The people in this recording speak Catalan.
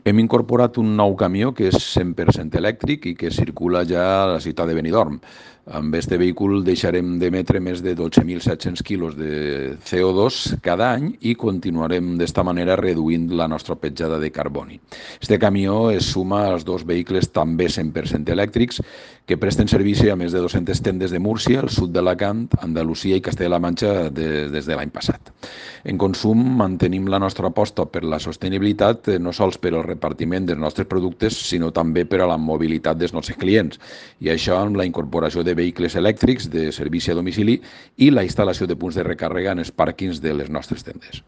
Hem incorporat un nou camió que és 100% elèctric i que circula ja a la ciutat de Benidorm. Amb aquest vehicle deixarem d'emetre més de 12.700 quilos de CO2 cada any i continuarem d'esta manera reduint la nostra petjada de carboni. Este camió es suma als dos vehicles també 100% elèctrics que presten servici a més de 200 tendes de Múrcia, el sud d'Alacant, Andalusia i Castella-La Manxa des de l'any passat. En consum mantenim la nostra aposta per la sostenibilitat no sols per al repartiment dels nostres productes, sinó també per a la mobilitat dels nostres clients. I això amb la incorporació de vehicles elèctrics de servici a domicili i la instal·lació de punts de recàrrega en els pàrquings de les nostres tendes.